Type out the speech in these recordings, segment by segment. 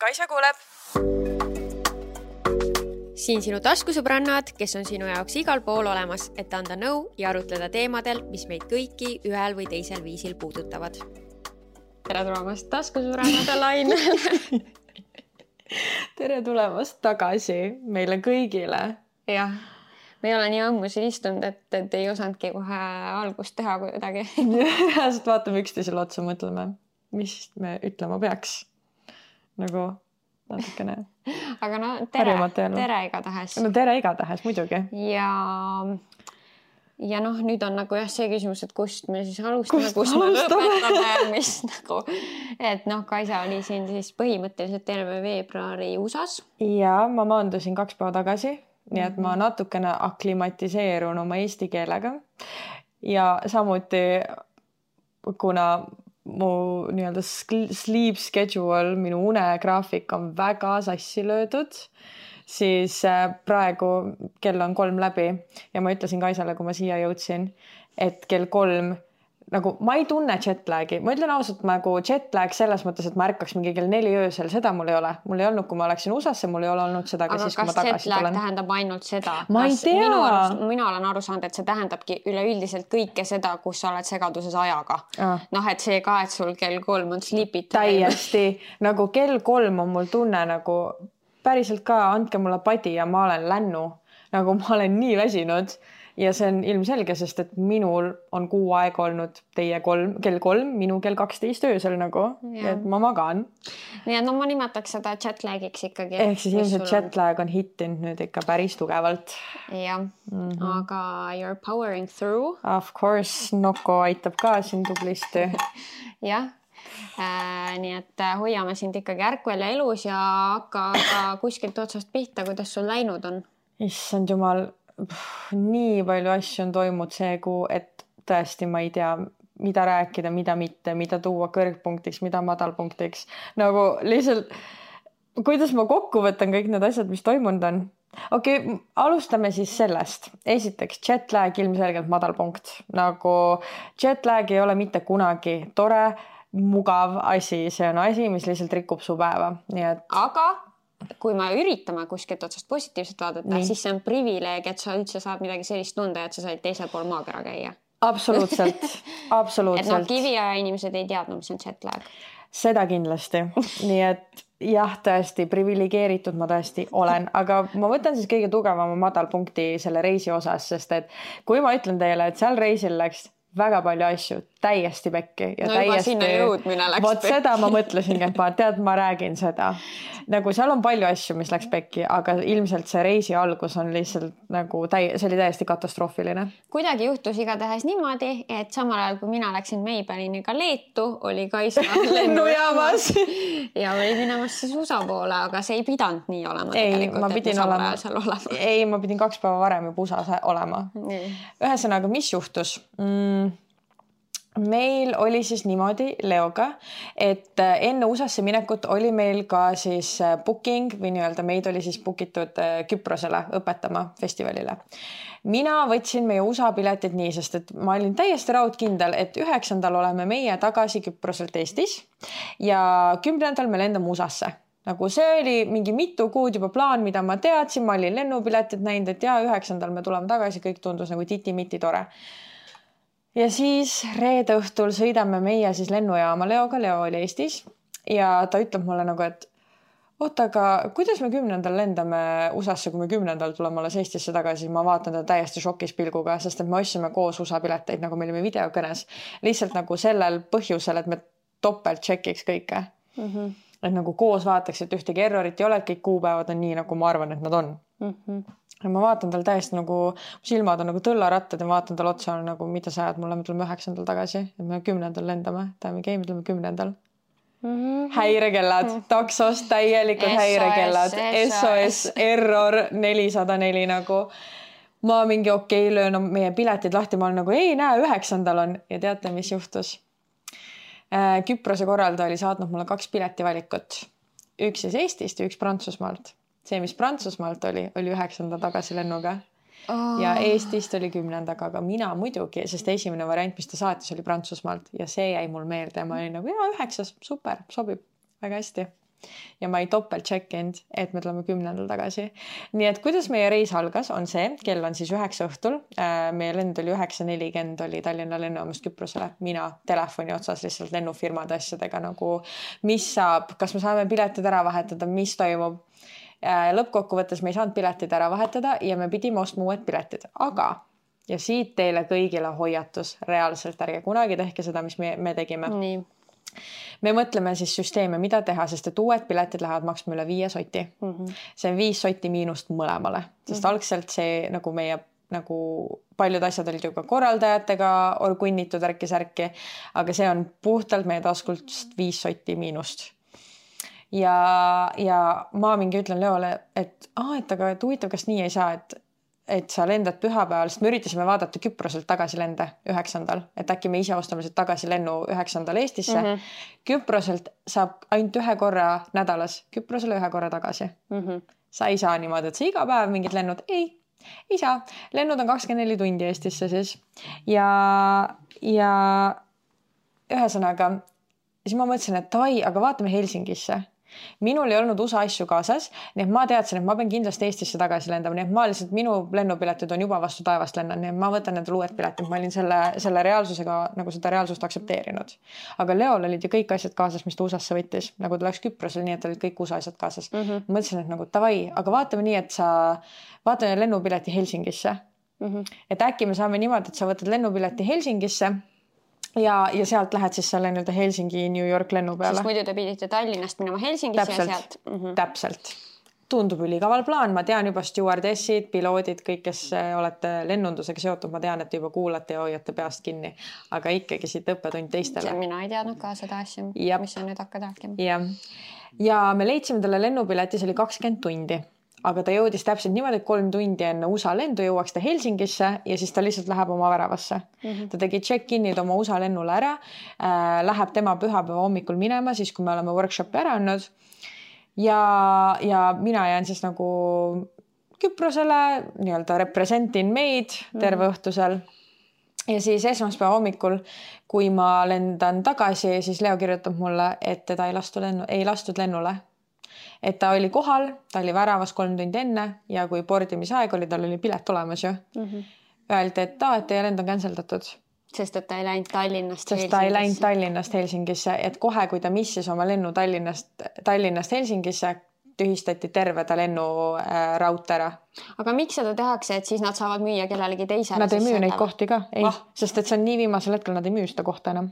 Kaisa kuuleb. Siin sinu taskusõbrannad, kes on sinu jaoks igal pool olemas, et anda nõu ja arutleda teemadel, mis meid kõiki ühel või teisel viisil puudutavad. Tere tulemast taskusõbrannade lainele. Tere tulemast tagasi meile kõigile. Jah, me ei ole nii ammu siin istunud, et ei osanudki kohe algust teha kuidagi. Sest vaatame üksteisele otsa, mõtleme, mis me ütlema peaks. Nagu natukene. Aga no tere igatahes. No tere igatahes, muidugi. Ja noh, nüüd on nagu jah see küsimus, et kust me siis alustame, kust me lõpetame, mis nagu, et noh, Kaisa oli siin siis põhimõtteliselt terve veebruari USAs. Ja ma maandusin 2 päeva tagasi, nii et ma natukene aklimatiseerun oma eesti keelega ja samuti kuna mu nii-öelda sleep schedule, minu unegraafik on väga sassi löödud, siis praegu kell on 3 läbi ja ma ütlesin Kaisale, kui ma siia jõudsin, et kell 3, nagu ma ei tunne jetlagi. Ma ütlen ausalt, nagu jetlag selles mõttes, et ma ärkaks mingi kell 4 öösel, seda mul ei ole. Mul ei olnud, kui ma läksin USAsse, mul ei ole olnud seda ka siis, kui ma tagasi tulen. Aga kas jetlag tähendab ainult seda? Ma ei tea. Mina olen aru saanud, et see tähendabki üleüldiselt kõike seda, kus sa oled segaduses ajaga. Noh, et see ka, et sul kell 3 on sleepy time. Täiesti. Nagu kell 3 on mul tunne nagu päriselt ka, andke mulle padi ja ma olen lännu. Nagu ma olen nii väsinud. Ja see on ilmselge, sest et minul on kuu aega olnud teie kell 3, minu kell 12 öösel nagu, et ma magan. Nii et no ma nimetaks seda jetlagiks ikkagi. Ehk siis ilmselt jetlag on hittinud nüüd ikka päris tugevalt. Jah, aga you're powering through. Of course, Noko aitab ka siin tublisti. Jah. Nii et hoiame sind ikkagi ärkvel ja elus ja hakka kuskilt otsast pihta, kuidas sul läinud on. Issand jumal, nii palju asju on toimud see kuu, et tõesti ma ei tea, mida rääkida, mida mitte, mida tuua kõrgpunktiks, mida madalpunktiks. Nagu lihtsalt, kuidas ma kokku võtan kõik need asjad, mis toimunud on? Okei, alustame siis sellest. Esiteks, jetlag ilmselgelt madalpunkt. Nagu jetlag ei ole mitte kunagi tore, mugav asi. See on asi, mis lihtsalt rikub su päeva. Nii et... Aga... kui me üritame kuskilt otsast positiivselt vaadata, siis see on privileeg, et sa üldse saad midagi sellist tunda, et sa said teisel pool maakera käia. Absoluutselt. Et no kiviaja inimesed ei teadnud, mis on jetlag. Seda kindlasti. Nii et jah, tõesti, privilegeeritud ma tõesti olen, aga ma võtan siis kõige tugevama madalpunkti selle reisi osas, sest et kui ma ütlen teile, et seal reisil läks väga palju asju, täiesti pekki. Ja no juba sinna jõudmine läks pekki. Seda ma mõtlesingi, et ma räägin seda. Nagu seal on palju asju, mis läks pekki, aga ilmselt see reisi algus on lihtsalt nagu, see oli täiesti katastroofiline. Kuidagi juhtus igatahes niimoodi, et samal ajal, kui mina läksin Maybelliniga Leetu, oli Kaisa lennujaamas ja oli minemas siis USA poole, aga see ei pidanud nii olema. Ei, ma pidin 2 päeva varem juba USAs olema. Ühesõnaga, mis juhtus? Meil oli siis niimoodi Leoga, et enne USAsse minekut oli meil ka siis booking või nii-öelda meid oli siis bookitud Küprosele õpetama festivalile. Mina võtsin meie USA piletid nii, sest et ma olin täiesti raudkindel, et 9. oleme meie tagasi Küproselt Eestis ja 10. me lendame USAsse. Nagu see oli mingi mitu kuud juba plaan, mida ma teadsin, ma olin lennupiletid näinud, et 9. me tuleme tagasi, kõik tundus nagu titi-miti tore. Ja siis reede õhtul sõidame meie siis lennujaama Leoga, Leo oli Eestis ja ta ütleb mulle nagu, et oota, aga kuidas me 10. lendame USAsse, kui me 10. tuleme alles Eestisse tagasi, ma vaatan ta täiesti šokis pilguga, sest et me ostsime koos USA pileteid, nagu me olime videokõnes, lihtsalt nagu sellel põhjusel, et me topelt tšekiks kõike. Et nagu koos vaataks, et ühtegi errorit ei ole, et kõik kuupäevad on nii, nagu ma arvan, et nad on. Ja ma vaatan tal täiesti nagu, silmad on nagu tõllarattad ja vaatan tal otsa nagu, mida sa ajad mulle, me tuleme 9. tagasi, et me 10. lendame, me tuleme 10. Häirekellad, taksost täielikult häirekellad, SOS, error 404 nagu. Ma mingi okei, löön meie piletid lahti, ma olen nagu ei näe, 9. on ja teate, mis juhtus? Küprose korralda oli saatnud mulle 2 piletivalikut. Üks siis Eestist ja üks Prantsusmaalt. See, mis Prantsusmaalt oli 9. tagasilennuga ja Eestist oli 10. aga mina muidugi, sest esimene variant, mis ta saatis, oli Prantsusmaalt ja see jäi mul meelde ja ma olin nagu 9, super, sobib väga hästi. ja ma ei topelt check-inud, et me tuleme 10. tagasi. Nii et kuidas meie reis algas, on see, kell on siis 9 õhtul. Meie lend oli 9:40 oli Tallinna lennujaamast Küprosele. Mina telefoni otsas lihtsalt lennufirmade asjadega nagu, mis saab, kas me saame piletid ära vahetada, mis toimub. Lõppkokkuvõttes me ei saanud piletid ära vahetada ja me pidime ostma uued piletid, aga ja siit teile kõigile hoiatus, reaalselt ärge kunagi tehke seda, mis me tegime. Nii. Me mõtleme siis süsteeme, mida teha, sest et uued piletid lähevad maksma üle 5 soti. See on 5 soti miinust mõlemale, sest algselt see nagu meie nagu paljud asjad olid ju ka korraldajatega orgunnitud ärki-särki, aga see on puhtalt meie taskult 5 soti miinust. Ja ma mingi ütlen Leole, et aga huvitav, kas nii ei saa, et sa lendad pühapäeval, sest me üritasime vaadata Küproselt tagasi lende 9. Et äkki me ise ostame sealt tagasi lennu 9. Eestisse. Küproselt saab ainult 1 korra nädalas, Küprosele 1 korra tagasi. Sa ei saa niimoodi, et sa iga päev mingid lennud, ei saa. Lennud on 24 tundi Eestisse siis. Ja ühesõnaga, siis ma mõtlesin, et aga vaatame Helsingisse. Minul ei olnud USA asju kaasas, nii et ma teadsin, et ma pean kindlasti Eestisse tagasi lendama, nii et ma lihtsalt minu lennupiletid on juba vastu taevast lennan, nii et ma võtan need uued piletid, ma olin selle reaalsusega nagu seda reaalsust aktsepteerinud. Aga Leol olid ju kõik asjad kaasas, mis ta USA-sse võttis, nagu ta läks Küprosel, nii et olid kõik USA asjad kaasas. Mõtlesin, et nagu davai, aga vaatame nii, et vaatame lennupileti Helsingisse. Et äkki me saame niimoodi, et sa võtad lennupileti Helsingisse ja sealt lähed siis selle nii-öelda Helsingi New York lennu peale. Siis muidu te pidite Tallinnast minema Helsingisse ja sealt. Täpselt. Tundub ülikaval plaan. Ma tean juba stewardessid, piloodid, kõik, kes olete lennundusega seotud, ma tean, et juba kuulate ja hoiate peast kinni. Aga ikkagi siit õppetund teistele. Mina ei teadnud ka seda asja, mis on nüüd hakkad rääkima. Ja me leidsime talle lennupileti, see oli 20 tundi. Aga ta jõudis täpselt niimoodi, et 3 tundi enne USA lendu jõuaks ta Helsingisse ja siis ta lihtsalt läheb oma väravasse. Ta tegi check-in'id oma USA lennule ära, läheb tema pühapäeva hommikul minema, siis kui me oleme workshopi ära andnud. Ja mina jään siis nagu Küprosele, nii-öelda representin meid terve õhtusel. Ja siis esmaspäeva hommikul, kui ma lendan tagasi, siis Leo kirjutab mulle, et teda ei lastud lennule. Et ta oli kohal, ta oli väravas 3 tundi enne ja kui bordimisaeg oli, tal oli pilet olemas ju. Öeldi, et teie lend on canceldatud. Sest et ta ei läinud Tallinnast Helsingisse. Sest ta ei läinud Tallinnast Helsingisse, et kohe, kui ta missis oma lennu Tallinnast Helsingisse, tühistati terve ta lennu raudtee ära. Aga miks seda tehakse, et siis nad saavad müüa kellelegi teisele? Nad ei müü neid kohti ka, ei. Sest et see on nii viimasel hetkel, nad ei müü seda kohta enam.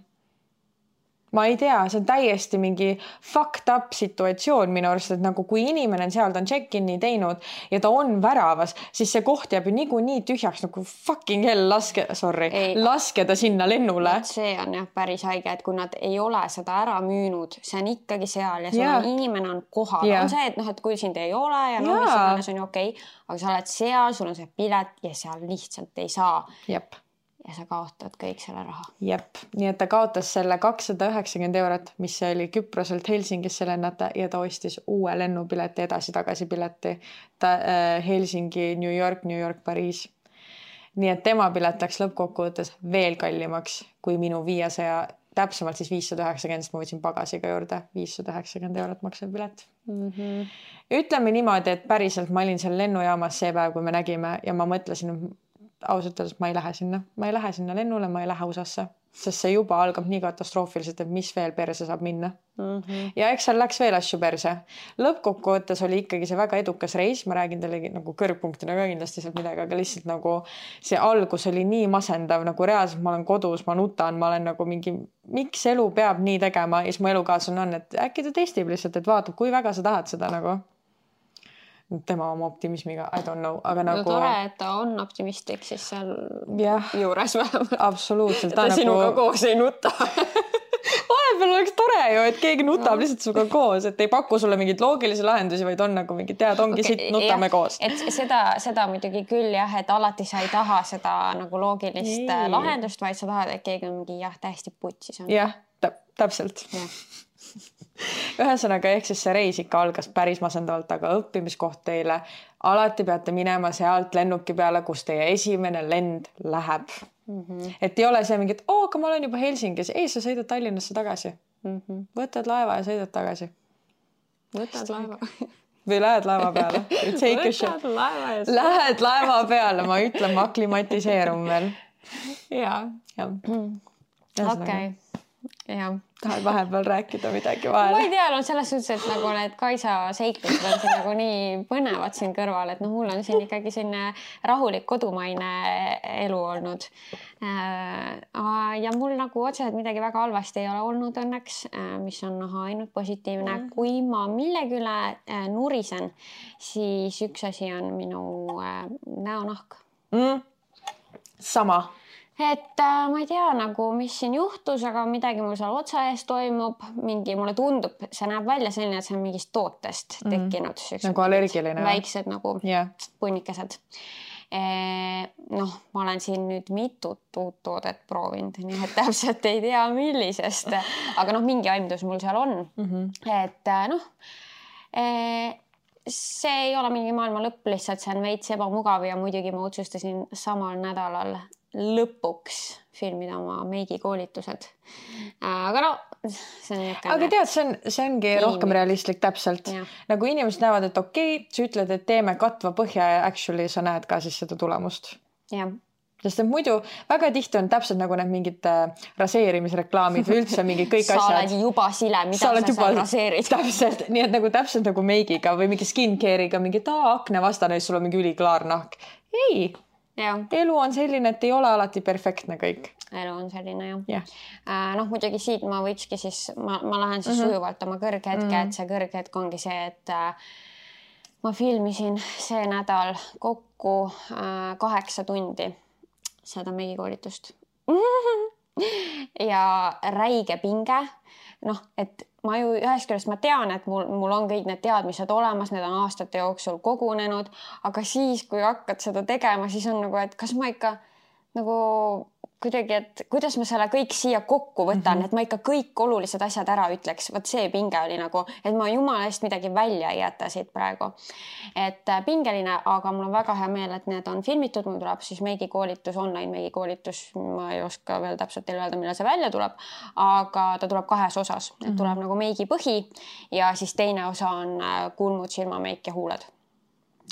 Ma ei tea, see on täiesti mingi fucked up situatsioon minu arust, et nagu kui inimene on seal, ta on check-in'i teinud ja ta on väravas, siis see koht jääb ju nii tühjaks nagu fucking hell, laske ta sinna lennule. See on jah päris haige, et kui nad ei ole seda ära müünud, see on ikkagi seal ja inimene on kohal. On see, et kui sind ei ole ja mis on ju okei, aga sa oled seal, sul on see pilet ja seal lihtsalt ei saa. Jep. Ja sa kaotad kõik selle raha. Jep, nii et ta kaotas selle 290 €, mis oli Küproselt Helsingisse lennata ja ta ostis uue lennupileti edasi-tagasi pileti. Helsingi, New York, Pariis. Nii et tema pilet läks lõppkokkuvõttes veel kallimaks kui minu 500, täpsemalt siis 590, ma võtsin pagasiga juurde, 590 € maksev pilet. Ütleme niimoodi, et päriselt ma olin seal lennujaamas see päev, kui me nägime ja ma mõtlesin, ausalt öeldes, ma ei lähe sinna lennule, ma ei lähe USA-sse, sest see juba algab nii katastroofiliselt, et mis veel perse saab minna. Ja eks seal läks veel asju perse. Lõppkokkuvõttes oli ikkagi see väga edukas reis, ma räägin teile nagu kõrgpunktina ka kindlasti sealt midagi, aga lihtsalt nagu see algus oli nii masendav, nagu reaalselt ma olen kodus, ma nutan, ma olen nagu mingi, miks elu peab nii tegema ja siis mu elukaaslane on, et äkki ta testib lihtsalt, et vaatab, kui väga sa tahad seda nagu. Tema oma optimismiga, I don't know, aga nagu... tore, et ta on optimistlik siis seal juures vähemalt. Absoluutselt. Ta sinuga koos ei nuta. Vahepeal oleks tore ju, et keegi nutab lihtsalt suga koos, et ei paku sulle mingid loogilisi lahendusi, vaid on nagu mingi ongi siit, nutame koos. Et seda muidugi küll jah, et alati sa ei taha seda nagu loogilist lahendust, vaid sa tahad, et keegi on mingi täiesti putsis on. Jah, täpselt. Ühesõnaga, ehk siis see reis ikka algas päris masendavalt, aga õppimiskoht teile. Alati peate minema sealt lennuki peale, kus teie esimene lend läheb. Et ei ole see mingi, et aga ma olen juba Helsingis. Ei, sa sõidad Tallinnasse tagasi. Võtad laeva ja sõidad tagasi. võtad laeva. Või lähed laeva peale. Võtad laeva ja lähed laeva peale, ma ütlen, ma aklimatiseerun veel. Jaa. Okei. Jah. Tahad vahepeal rääkida midagi vahele? Ma ei tea, selles suhtes, et nagu need Kaisa seiklused on siin nagu nii põnevad siin kõrval, et mul on siin ikkagi selline rahulik kodumaine elu olnud. Ja mul nagu otseselt midagi väga halvasti ei ole olnud õnneks, mis on ainult positiivne. Kui ma millegi üle nurisen, siis üks asi on minu näonahk. Sama. Et ma ei tea nagu, mis siin juhtus, aga midagi mul seal otsa ees toimub. Mulle tundub, see näeb välja selline, et see on mingist tootest tekkinud. Nagu allergiline. Väiksed nagu punnikesed. Ma olen siin nüüd mitut uut toodet proovinud, nii et täpselt ei tea millisest. Aga mingi aimdus mul seal on. Et see ei ole mingi maailma lõpp, lihtsalt see on veits ebamugav ja muidugi ma otsustasin samal nädalal lõpuks filmida oma meigikoolitused. Aga see on niisugune... Aga tead, see ongi rohkem realistlik täpselt. Ja. Nagu inimesed näevad, et okei, sa ütled, et teeme katva põhja ja actually sa näed ka siis seda tulemust. Ja. Sest et muidu väga tihti on täpselt nagu need mingid raseerimisreklaamid või üldse mingi kõik asjad. Sa oled juba sile, mida sa seal raseerid. Täpselt, nii et nagu täpselt nagu meigiga või mingi skincare'iga, mingi akne vastane, sul on mingi üliklaar nahk. Ei! Ja. Elu on selline, et ei ole alati perfektne kõik. Elu on selline, jah. Muidugi siit ma võikski siis, ma lähen siis sujuvalt oma kõrghetke, et see kõrghetk ongi see, et ma filmisin see nädal kokku 8 tundi seda meigikoolitust. Ja räige pinge, et ma ju ühest küljest ma tean, et mul on kõik need teadmised olemas, need on aastate jooksul kogunenud, aga siis, kui hakkad seda tegema, siis on nagu, et kas ma ikka nagu kuidagi, et kuidas ma selle kõik siia kokku võtan, et ma ikka kõik olulised asjad ära ütleks. Võt see pinge oli nagu, et ma jumala eest midagi välja ei jäta siit praegu. Et pingeline, aga mul on väga hea meel, et need on filmitud. Mul tuleb siis meigikoolitus, online meigikoolitus. Ma ei oska veel täpselt teile öelda, millal see välja tuleb, aga ta tuleb 2 osas. Et tuleb nagu meigi põhi ja siis teine osa on kulmud, silmameik ja huuled.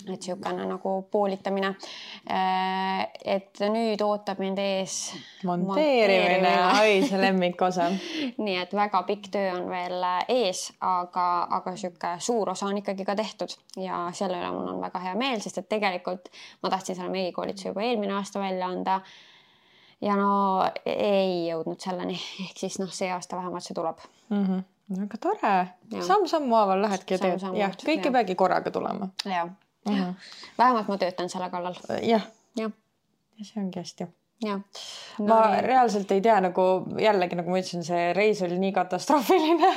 Et siukene nagu poolitamine. Et nüüd ootab mind ees monteerimine. Oi, see lemmikosa. Nii et väga pikk töö on veel ees, aga siuke suur osa on ikkagi ka tehtud ja selle üle mul on väga hea meel, sest et tegelikult ma tahtsin selle meigikoolituse juba eelmine aasta välja anda ja ei jõudnud selleni. Ehk siis see aasta vähemalt see tuleb. Aga tore. Samm-sammu haaval lähedki ja teed. Ja, kõik ei peagi korraga tulema. Jah. Vähemalt ma töötan selle kallal. Jah. Ja see ongi hästi. Ja. Ma reaalselt ei tea, nagu jällegi, nagu ma ütlesin, see reis oli nii katastroofiline,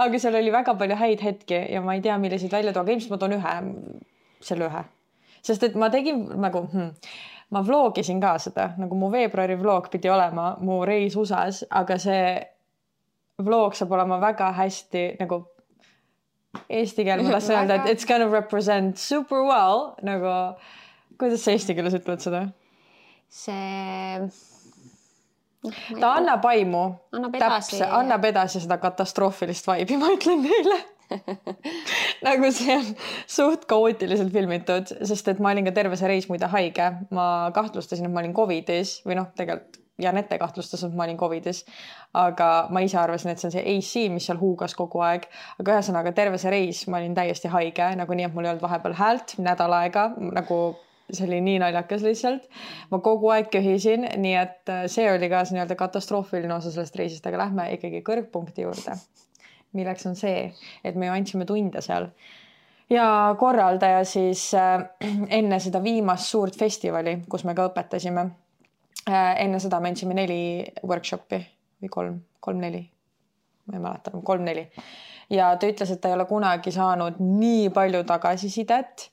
aga seal oli väga palju häid hetki ja ma ei tea, milliseid välja tuua, aga ilmselt ma toon selle ühe. Sest et ma tegin nagu, ma vlogisin ka seda, nagu mu veebruari vlog pidi olema mu reis USAs, aga see vlog saab olema väga hästi nagu eesti keeles ma tahtsin öelda, et it's gonna represent super well, nagu, kuidas sa eesti keeles ütled seda? Ta annab aimu. Annab edasi seda katastroofilist vaibi, ma ütlen teile. Nagu see on suht kaootiliselt filmitud, sest et ma olin ka terve see reis muide haige. Ma kahtlustasin, et ma olin COVIDis või tegelikult Janette kahtlustas, et ma olin COVIDis, aga ma ise arvasin, et see on see AC, mis seal huugas kogu aeg. Aga ühesõnaga terve see reis ma olin täiesti haige, nagu nii, et mul ei olnud vahepeal häält nädal aega, nagu see oli nii naljakas lihtsalt. Ma kogu aeg köhisin, nii et see oli ka nii-öelda katastroofiline osa sellest reisist, aga lähme ikkagi kõrgpunkti juurde, milleks on see, et me ju andsime tunde seal. Ja korraldaja siis enne seda viimast suurt festivali, kus me ka õpetasime, enne seda me andsime 4 workshopi või 3-4, ma ei mäleta, 3-4 ja ta ütles, et ta ei ole kunagi saanud nii palju tagasisidet,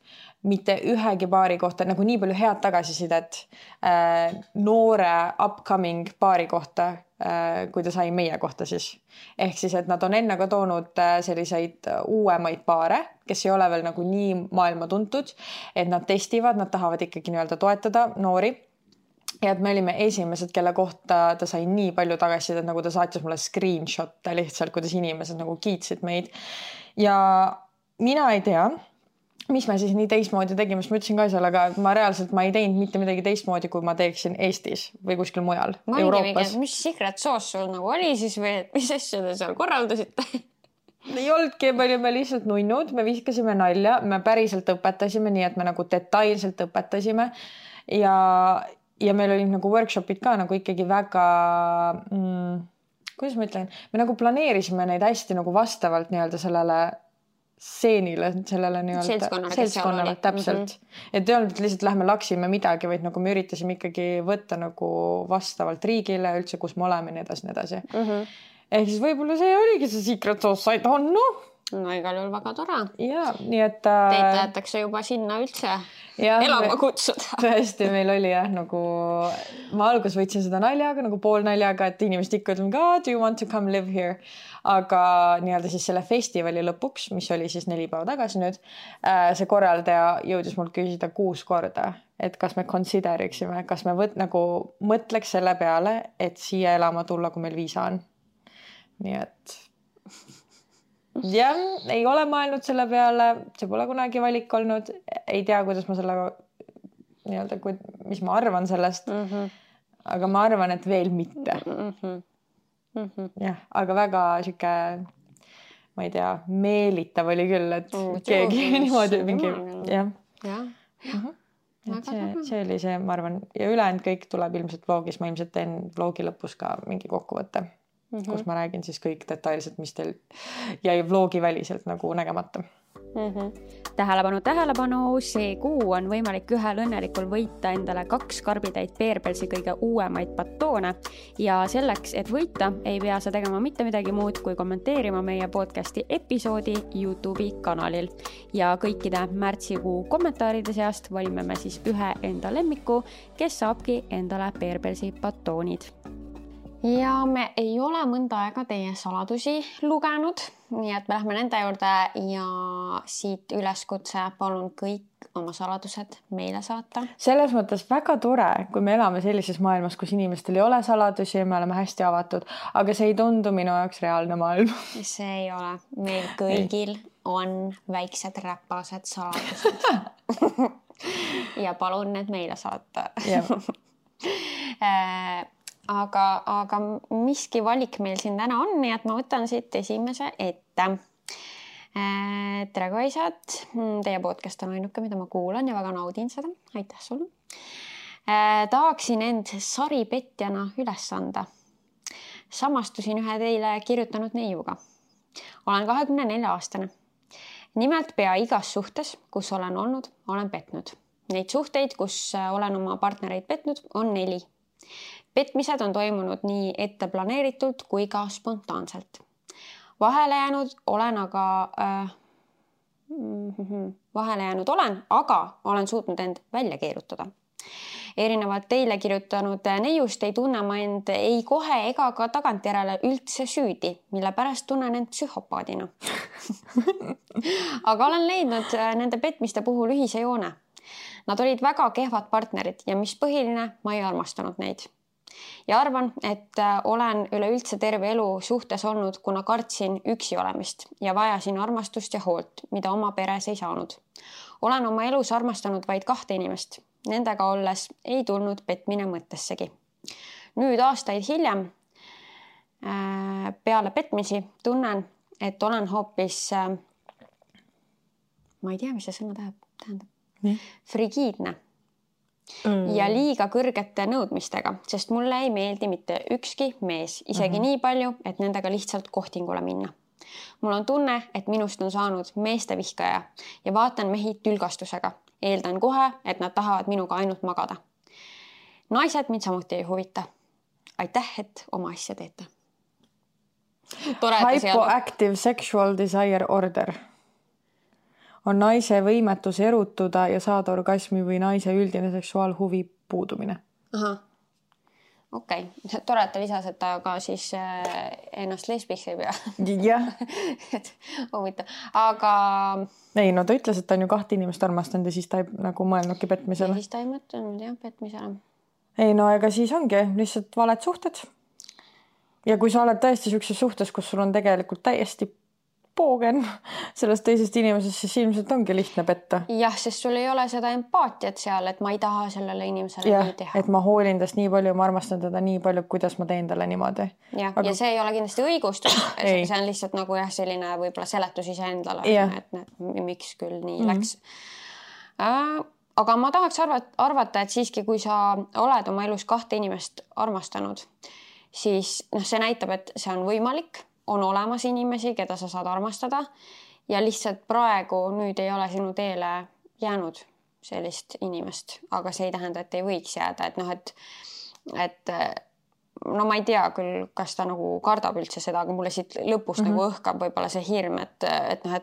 mitte ühegi paari kohta, nagu nii palju head tagasisidet noore upcoming paari kohta, kui ta sai meie kohta siis. Ehk siis, et nad on enne ka toonud selliseid uuemaid paare, kes ei ole veel nagu nii maailma tuntud, et nad testivad, nad tahavad ikkagi nii-öelda toetada noori. Ja et me olime esimesed, kelle kohta ta sai nii palju tagasisidet, et nagu ta saatis mulle screenshot'e lihtsalt, kuidas inimesed nagu kiitsid meid. Ja mina ei tea, mis me siis nii teistmoodi tegime, sest ma ütlesin ka seal, aga ma ei teinud mitte midagi teistmoodi, kui ma teeksin Eestis või kuskil mujal Euroopas. Mis secret sauce sul nagu oli siis või mis asju te seal korraldasite? ei olnudki, me olime lihtsalt nunnud, me viskasime nalja, me päriselt õpetasime, nii et me nagu detailselt õpetasime ja meil olid nagu workshopid ka nagu ikkagi väga kuidas ma ütlen, me nagu planeerisime neid hästi nagu vastavalt nii-öelda sellele stseenile, sellele nii-öelda seltskonnale täpselt. Et ei olnud, et lihtsalt lähme laksime midagi, vaid nagu me üritasime ikkagi võtta nagu vastavalt riigile üldse, kus me oleme, nii edasi. Ehk siis võib-olla see oligi see secret sauce, I don't know. No igal juhul väga tore. Ja, nii et... Teid tahetakse juba sinna üldse elama kutsuda. Tõesti, meil oli nagu... Ma algus võtsin seda naljaga, nagu poolnaljaga, et inimesed ikka ütleme, do you want to come live here? Aga nii-öelda siis selle festivali lõpuks, mis oli siis 4 päeva tagasi nüüd, see korraldaja jõudis mult küsida 6 korda, et kas me consideriksime, kas me nagu mõtleks selle peale, et siia elama tulla, kui meil viisa on. Nii et... jah, ei ole mõelnud selle peale, see pole kunagi valik olnud, ei tea, kuidas ma sellega nii-öelda, mis ma arvan sellest, aga ma arvan, et veel mitte. Jah, aga väga siuke, ma ei tea, meelitav oli küll, et keegi niimoodi mingi, jah. See oli see, ma arvan, ja ülejäänud kõik tuleb ilmselt vlogis, ma ilmselt teen vlogi lõpus ka mingi kokkuvõtte. Kus ma räägin siis kõik detailselt, mis teil jäi vlogi väliselt nagu nägemata. Tähelepanu, see kuu on võimalik ühel õnnelikul võita endale 2 karbitäit Bearbellsi kõige uuemaid batoone ja selleks, et võita, ei pea sa tegema mitte midagi muud, kui kommenteerima meie podcasti episoodi YouTube'i kanalil ja kõikide märtsikuu kommentaaride seast valime me siis ühe enda lemmiku, kes saabki endale Bearbellsi batoonid. Ja me ei ole mõnda aega teie saladusi lugenud, nii et me lähme nende juurde ja siit üleskutse palun kõik oma saladused meile saata. Selles mõttes väga tore, kui me elame sellises maailmas, kus inimestel ei ole saladusi ja me oleme hästi avatud, aga see ei tundu minu jaoks reaalne maailm. See ei ole. Meil kõigil on väiksed räpased saladused. Ja palun need meile saata. Aga miski valik meil siin täna on, nii et ma võtan siit esimese ette. Tere kaisad, teie podcast on ainuke, mida ma kuulan ja väga naudin seda. Aitäh sulle. Tahaksin end saripetjana üles anda. Samastusin ühe teile kirjutanud neiuga. Olen 24-aastane. Nimelt pea igas suhtes, kus olen olnud, olen petnud. Neid suhteid, kus olen oma partnereid petnud, on 4. Petmised on toimunud nii ette planeeritult kui ka spontaanselt. Vahele jäänud olen, aga olen suutnud end välja keerutada. Erinevalt teile kirjutanud neiust ei tunne ma end ei kohe ega ka tagantjärele üldse süüdi, mille pärast tunnen end psühhopaadina. Aga olen leidnud nende petmiste puhul ühise joone. Nad olid väga kehvad partnerid ja mis põhiline, ma ei armastanud neid. Ja arvan, et olen üleüldse terve elu suhtes olnud, kuna kartsin üksi olemist ja vajasin armastust ja hoolt, mida oma peres ei saanud. Olen oma elus armastanud vaid 2 inimest. Nendega olles ei tulnud petmine mõttessegi. Nüüd aastaid hiljem peale petmisi tunnen, et olen hoopis, ma ei tea, mis see sõna tähendab, frigiidne. Ja liiga kõrgete nõudmistega, sest mulle ei meeldi mitte ükski mees, isegi nii palju, et nendega lihtsalt kohtingule minna. Mul on tunne, et minust on saanud meeste vihkaja ja vaatan mehi tülgastusega. Eeldan kohe, et nad tahavad minuga ainult magada. Naised mind samuti ei huvita. Aitäh, et oma asja teete. Hypoactive sexual desire order on naise võimetus erutuda ja saada orgasmi või naise üldine seksuaalhuvi puudumine. Aha. Okei. Tore, et ta lisas, et ta ka siis ennast lesbiks ei pea. Jah. Huvitav. Aga... Ei, no ta ütles, et ta on ju 2 inimest armastanud ja siis ta ei nagu mõelnudki petmisele. Ja siis ta ei mõtlenud, jah, petmisele. Ei, no ega siis ongi lihtsalt valed suhted. Ja kui sa oled tõesti sellises suhtes, kus sul on tegelikult täiesti poogen sellest teisest inimesest, siis ilmselt ongi lihtne petta. Jah, sest sul ei ole seda empaatiat seal, et ma ei taha sellele inimesele nii teha. Et ma hoolin tast nii palju, ma armastan teda nii palju, kuidas ma teen talle niimoodi. Ja see ei ole kindlasti õigustus. See on lihtsalt nagu selline võib-olla seletus iseendale, et miks küll nii läks. Aga ma tahaks arvata, et siiski, kui sa oled oma elus 2 inimest armastanud, siis see näitab, et see on võimalik, on olemas inimesi, keda sa saad armastada ja lihtsalt praegu nüüd ei ole sinu teele jäänud sellist inimest, aga see ei tähenda, et ei võiks jääda, et ma ei tea küll, kas ta nagu kardab üldse seda, aga mulle siit lõpus nagu õhkab võib-olla see hirm, et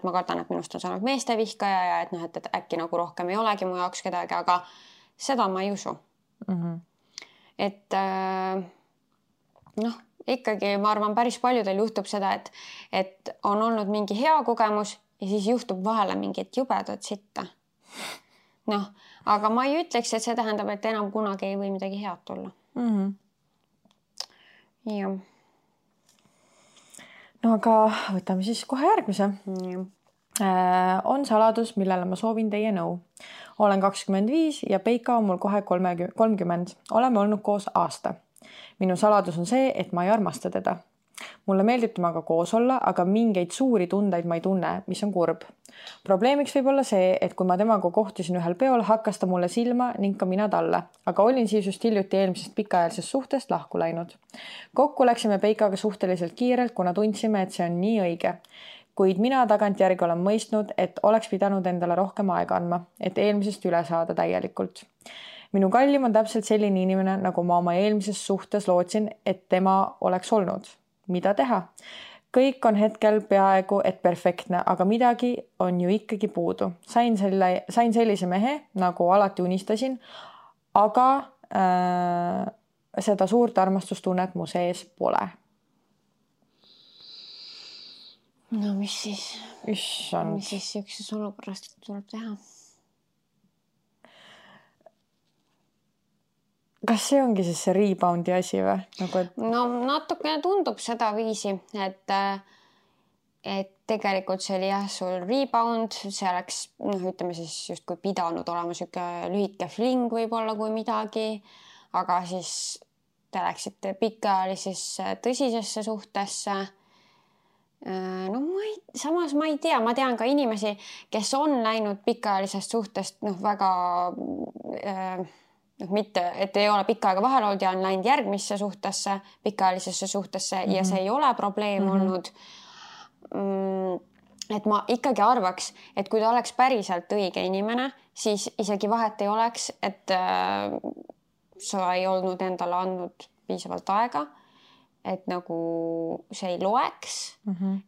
ma kardan, et minust on saanud meestevihkaja ja et äkki nagu rohkem ei olegi mu jaoks kedagi, aga seda ma ei usu. Et ikkagi ma arvan, päris paljudel juhtub seda, et on olnud mingi hea kogemus ja siis juhtub vahele mingit jubedat sitta. Aga ma ei ütleks, et see tähendab, et enam kunagi ei või midagi head tulla. Ja. No aga võtame siis kohe järgmise. On saladus, millele ma soovin teie nõu. Olen 25 ja Peika on mul kohe 30. Oleme olnud koos aasta. Minu saladus on see, et ma ei armasta teda. Mulle meeldib temaga koos olla, aga mingeid suuri tundeid ma ei tunne, mis on kurb. Probleemiks võib olla see, et kui ma temaga kohtusin ühel peol, hakkas ta mulle silma ning ka mina talle, aga olin siis just hiljuti eelmisest pikaajalisest suhtest lahku läinud. Kokku läksime Peikaga suhteliselt kiirelt, kuna tundsime, et see on nii õige. Kuid mina tagantjärgi olen mõistnud, et oleks pidanud endale rohkem aega andma, et eelmisest üle saada täielikult. Minu kallim on täpselt selline inimene, nagu ma oma eelmises suhtes lootsin, et tema oleks olnud. Mida teha? Kõik on hetkel peaaegu et perfektne, aga midagi on ju ikkagi puudu. Sain sellise mehe, nagu alati unistasin, aga seda suurt armastustunnet mu sees pole. No mis siis? Issand. Mis siis ükses olukorrast tuleb teha? Kas see ongi siis see reboundi asi või? No natukene tundub seda viisi, et tegelikult see oli sul rebound, see oleks, ütleme siis justkui pidanud olema siuke lühike fling võib-olla kui midagi, aga siis te läksite pikaajalisesse tõsisesse suhtesse. Samas ma ei tea, ma tean ka inimesi, kes on läinud pikaajalisest suhtest väga mitte, et ei ole pikka aega vahel olnud ja on läinud järgmisse suhtesse, pikaajalisesse suhtesse ja see ei ole probleem olnud. Et ma ikkagi arvaks, et kui ta oleks päriselt õige inimene, siis isegi vahet ei oleks, et sa ei olnud endale andnud piisavalt aega, et nagu see ei loeks,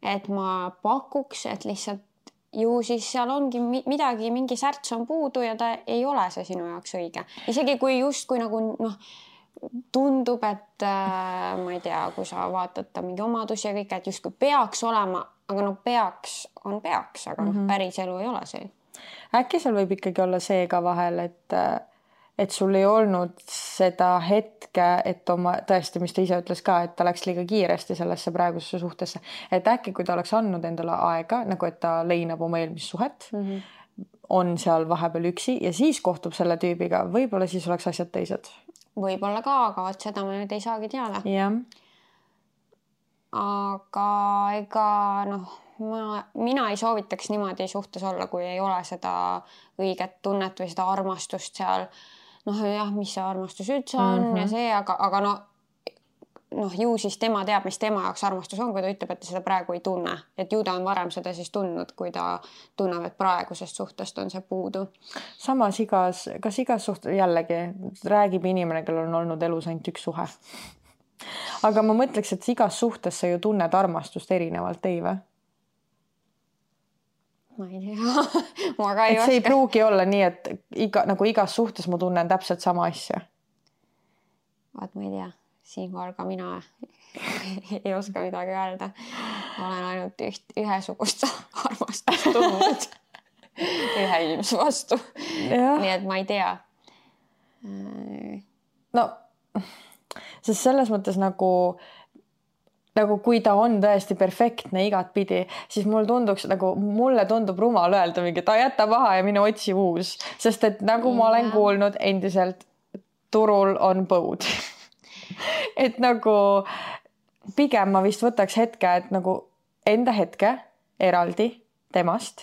et ma pakuks, et lihtsalt ju siis seal ongi midagi, mingi särts on puudu ja ta ei ole see sinu jaoks õige. Isegi kui justkui nagu tundub, et ma ei tea, kui sa vaatad ta mingi omadusi ja kõik, et justkui peaks olema, aga peaks, aga päris elu ei ole see. Äkki seal võib ikkagi olla see ka vahel, et sul ei olnud seda hetke, et tõesti, mis ta ise ütles ka, et ta läks liiga kiiresti sellesse praegusesse suhtesse. Et äkki, kui ta oleks andnud endale aega, nagu et ta leinab oma eelmist suhet, on seal vahepeal üksi ja siis kohtub selle tüübiga, võib-olla siis oleks asjad teised. Võib-olla ka, aga seda me nüüd ei saagi teada. Jah. Aga ega mina ei soovitaks niimoodi suhtes olla, kui ei ole seda õiget tunnet või seda armastust seal. Mis see armastus üldse on ja see, aga ju siis tema teab, mis tema jaoks armastus on, kui ta ütleb, et ta seda praegu ei tunne. Et ju ta on varem seda siis tundnud, kui ta tunneb, et praegusest suhtest on see puudu. Samas kas igas suhtes jällegi räägib inimene, kellel on olnud elus ainult üks suhe. Aga ma mõtleks, et igas suhtes sa ju tunned armastust erinevalt, ei või? Ma ei tea. Ma ka ei oska. See ei pruugi olla nii, et igas suhtes ma tunnen täpselt sama asja. Vaat ma ei tea. Siinkohal ka mina ei oska midagi öelda. Olen ainult ühesugust armastust tundnud ühe inimese vastu. Nii et ma ei tea. Sest selles mõttes nagu nagu kui ta on tõesti perfektne igat pidi, siis mulle tundub rumal öelda mingi, ta jäta maha ja mine otsi uus, sest et nagu ma olen kuulnud endiselt, turul on põud. Et nagu pigem ma vist võtaks hetke, et nagu enda hetke eraldi temast,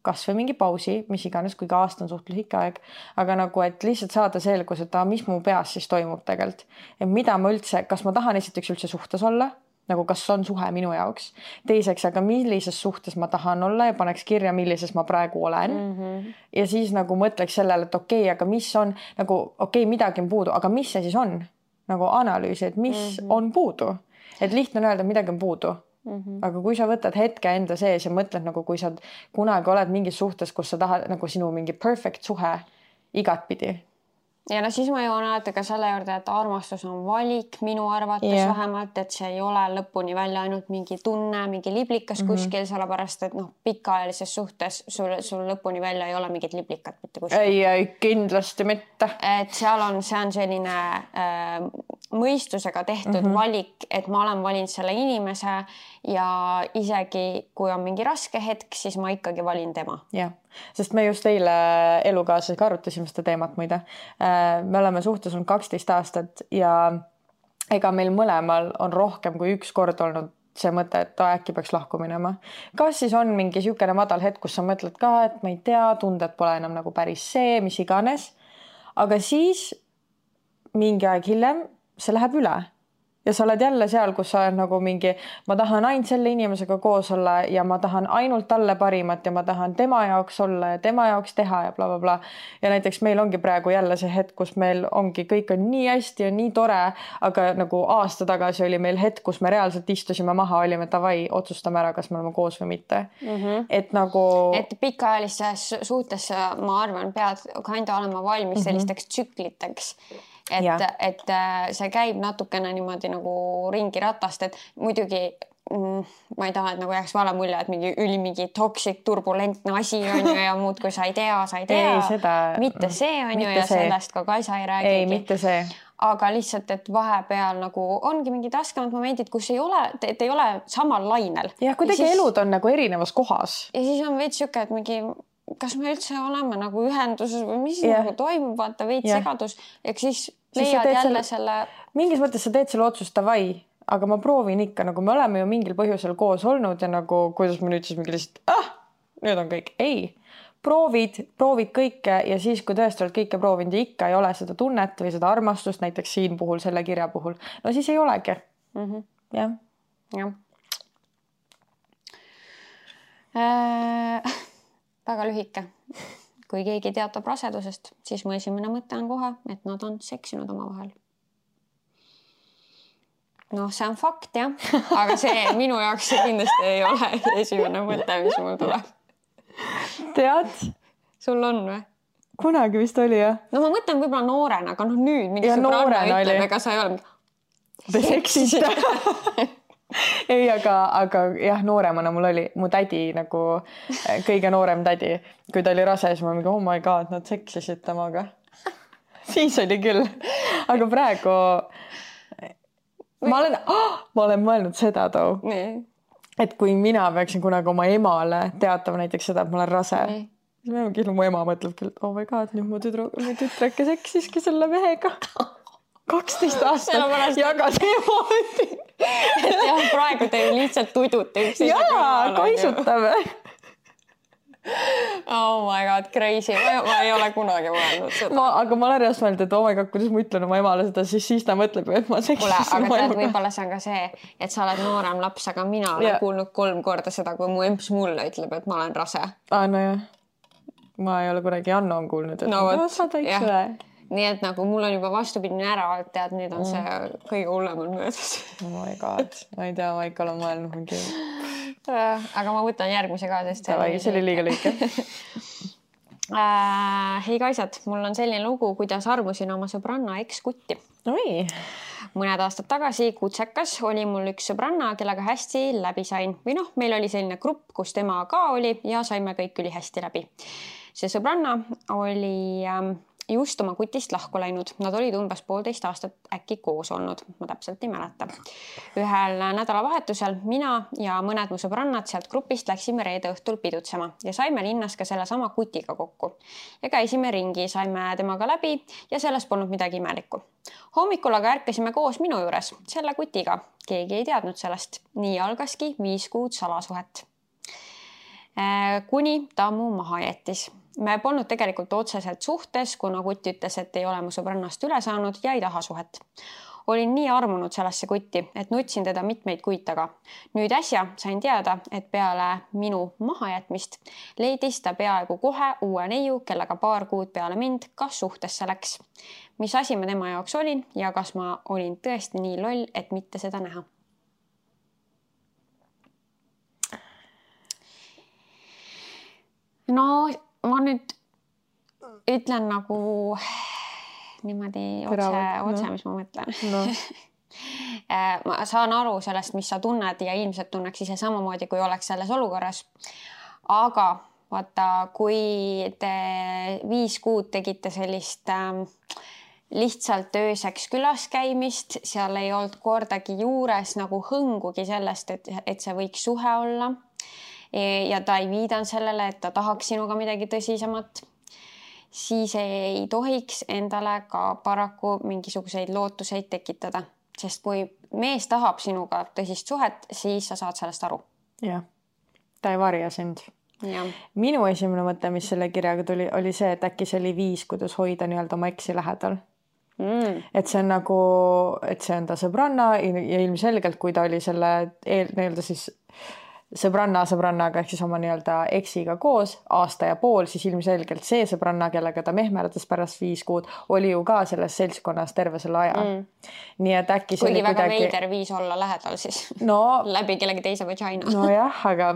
kas või mingi pausi, mis iganes, kui ka aasta on suhteliselt ikka aeg, aga nagu, et lihtsalt saada selgus, et mis mu peas siis toimub tegelikult. Et mida ma üldse, kas ma tahan esiteks üldse suhtes olla, nagu kas on suhe minu jaoks. Teiseks, aga millises suhtes ma tahan olla ja paneks kirja, millises ma praegu olen. Ja siis nagu mõtleks sellele, et okei, aga mis on, nagu okei, midagi on puudu, aga mis see siis on? Nagu analüüsi, et mis on puudu. Et lihtne on öelda, midagi on puudu. Aga kui sa võtad hetke enda sees ja mõtled nagu kui sa kunagi oled mingis suhtes, kus sa tahad nagu sinu mingi perfect suhe igatpidi. Ja no siis ma jõuan alati ka selle juurde, et armastus on valik minu arvates vähemalt, et see ei ole lõpuni välja ainult mingi tunne, mingi liblikas kuskil, sellepärast, et pikkaajalises suhtes sul lõpuni välja ei ole mingit liblikat mitte kuskil. Ei, kindlasti mitte. Et see on selline mõistusega tehtud valik, et ma olen valinud selle inimese ja isegi kui on mingi raske hetk, siis ma ikkagi valin tema. Jah. Sest me just eile elukaaslasega arutasime seda teemat muide. Me oleme suhtes olnud 12 aastat ja ega meil mõlemal on rohkem kui üks kord olnud see mõte, et äkki peaks lahku minema. Kas siis on mingi siukene madal hetk, kus sa mõtled ka, et ma ei tea, tunded pole enam nagu päris see, mis iganes. Aga siis mingi aeg hiljem see läheb üle. Ja sa oled jälle seal, kus sa oled nagu mingi, ma tahan ainult selle inimesega koos olla ja ma tahan ainult talle parimat ja ma tahan tema jaoks olla ja tema jaoks teha ja bla, bla, bla. Ja näiteks meil ongi praegu jälle see hetk, kus meil ongi, kõik on nii hästi ja nii tore, aga nagu aasta tagasi oli meil hetk, kus me reaalselt istusime maha, olime tavai, otsustame ära, kas me oleme koos või mitte. Et nagu... Et pikaajalises suhtes, ma arvan, pead kanda olema valmis sellisteks tsükliteks. Et see käib natukene niimoodi nagu ringi ratast, et muidugi ma ei taha, et nagu jääks vale mulje, et mingi toksik, turbulentne asi on ju ja muud, kui sa ei tea. Ei, seda... Mitte see on ju ja sellest ka Kaisa ei räägigi. Ei, mitte see. Aga lihtsalt, et vahepeal nagu ongi mingid raskemad momendid, kus ei ole samal lainel. Ja kuidagi siis... elud on nagu erinevas kohas. Ja siis on veits siuke, et mingi... kas me üldse oleme nagu ühenduses või mis nagu toimub, vaata veits segadus, ehk siis leiad jälle selle... Mingis mõttes sa teed selle otsust tavai, aga ma proovin ikka, nagu me oleme ju mingil põhjusel koos olnud ja nagu, kuidas ma nüüd siis mingi lihtsalt, nüüd on kõik. Ei, proovid kõike ja siis, kui tõesti oled kõike proovinud ja ikka ei ole seda tunnet või seda armastust, näiteks siin puhul, selle kirja puhul, no siis ei olegi. Jah. Väga lühike. Kui keegi teatab rasedusest, siis mu esimene mõte on kohe, et nad on seksinud oma vahel. Noh, see on fakt, jah. Aga see minu jaoks see kindlasti ei ole esimene mõte, mis mul tuleb. Tead? Sul on või? Kunagi vist oli, jah. No ma mõtlen võib-olla noorena, aga nüüd mingi sõbranna ütleb, ega sa ei ole... Te seksiste. Ei, aga jah, nooremana mul oli mu tädi nagu kõige noorem tädi. Kui ta oli rase, siis ma mingi, oh my god, nad seksisid temaga. Siis oli küll. Aga praegu ma olen mõelnud seda too. Et kui mina peaksin kunagi oma emale teatama näiteks seda, et ma olen rase, siis mu ema mõtleb küll, oh my god, nüüd mu tütreke seksiski selle mehega. 12 aastat jagas emoodi. Et jah, praegu te lihtsalt tudute üksteise. Jaa, kaisutame. Oh my god, crazy. Ma ei ole kunagi mõelnud seda. Aga ma olen reast mõelnud, et oh my god, kuidas ma ütlen oma emale seda, siis ta mõtleb, et ma seksisin. Aga tead, võib-olla see on ka see, et sa oled noorem laps, aga mina olen kuulnud 3 korda seda, kui mu emps mulle ütleb, et ma olen rase. No jah. Ma ei ole kunagi Anno on kuulnud, et sa täitsa üle. Nii et nagu mul on juba vastupidine ära, et tead, nüüd on see kõige hullem on möödas. Oh my god, ma ei tea, ma ikka olen mõelnud mingi... Aga ma võtan järgmise ka, sest... See oli liiga lühike. Hei Kaisad, mul on selline lugu, kuidas armusin oma sõbranna eks-kutti. Oi! Mõned aastad tagasi Kutsekas oli mul üks sõbranna, kellega hästi läbi sain. Või noh, meil oli selline grupp, kus tema ka oli ja saime kõik üli hästi läbi. See sõbranna oli just oma kutist lahku läinud. Nad olid umbes 1,5 aastat äkki koos olnud, ma täpselt ei mäleta. Ühel nädalavahetusel mina ja mõned mu sõbrannad sealt grupist läksime reede õhtul pidutsema ja saime linnas ka selle sama kutiga kokku. Ja käisime ringi, saime temaga läbi ja selles polnud midagi imelikku. Hommikul aga ärkasime koos minu juures selle kutiga. Keegi ei teadnud sellest. Nii algaski 5 kuud salasuhet. Kuni ta mu maha jättis. Me polnud tegelikult otseselt suhtes, kuna kutt ütles, et ei ole mu sõbrannast üle saanud ja ei taha suhet. Olin nii armunud sellesse kutti, et nutsin teda mitmeid kuid taga. Nüüd äsja sain teada, et peale minu mahajätmist leidis ta peaaegu kohe uue neiu, kellega 2 kuud peale mind ka suhtesse läks. Mis asi ma tema jaoks olin ja kas ma olin tõesti nii loll, et mitte seda näha? No ma nüüd ütlen nagu niimoodi otse, mis ma mõtlen. No. Ma saan aru sellest, mis sa tunned ja ilmselt tunneks ise samamoodi, kui oleks selles olukorras. Aga vaata, kui te 5 kuud tegite sellist lihtsalt ööseks külas käimist, seal ei olnud kordagi juures nagu hõngugi sellest, et see võiks suhe olla. Ja ta ei viidan sellele, et ta tahaks sinuga midagi tõsisemat, siis ei tohiks endale ka paraku mingisuguseid lootuseid tekitada. Sest kui mees tahab sinuga tõsist suhet, siis sa saad sellest aru. Jah, ta ei varja sind. Ja. Minu esimene mõte, mis selle kirjaga tuli, oli see, et äkki see oli viis, kuidas hoida nii-öelda oma eksi lähedal. Et see on nagu, et see on ta sõbranna ja ilmselgelt, kui ta oli selle nii-öelda siis sõbrannaga ehk siis oma nii-öelda eksiga koos 1,5 aastat, siis ilmselgelt see sõbranna, kellega ta mehmerdas pärast 5 kuud, oli ju ka selles seltskonnas terve selle aja. Nii et äkki kuigi väga veider viis olla lähedal siis läbi kellegi teise vagina. Nojah, aga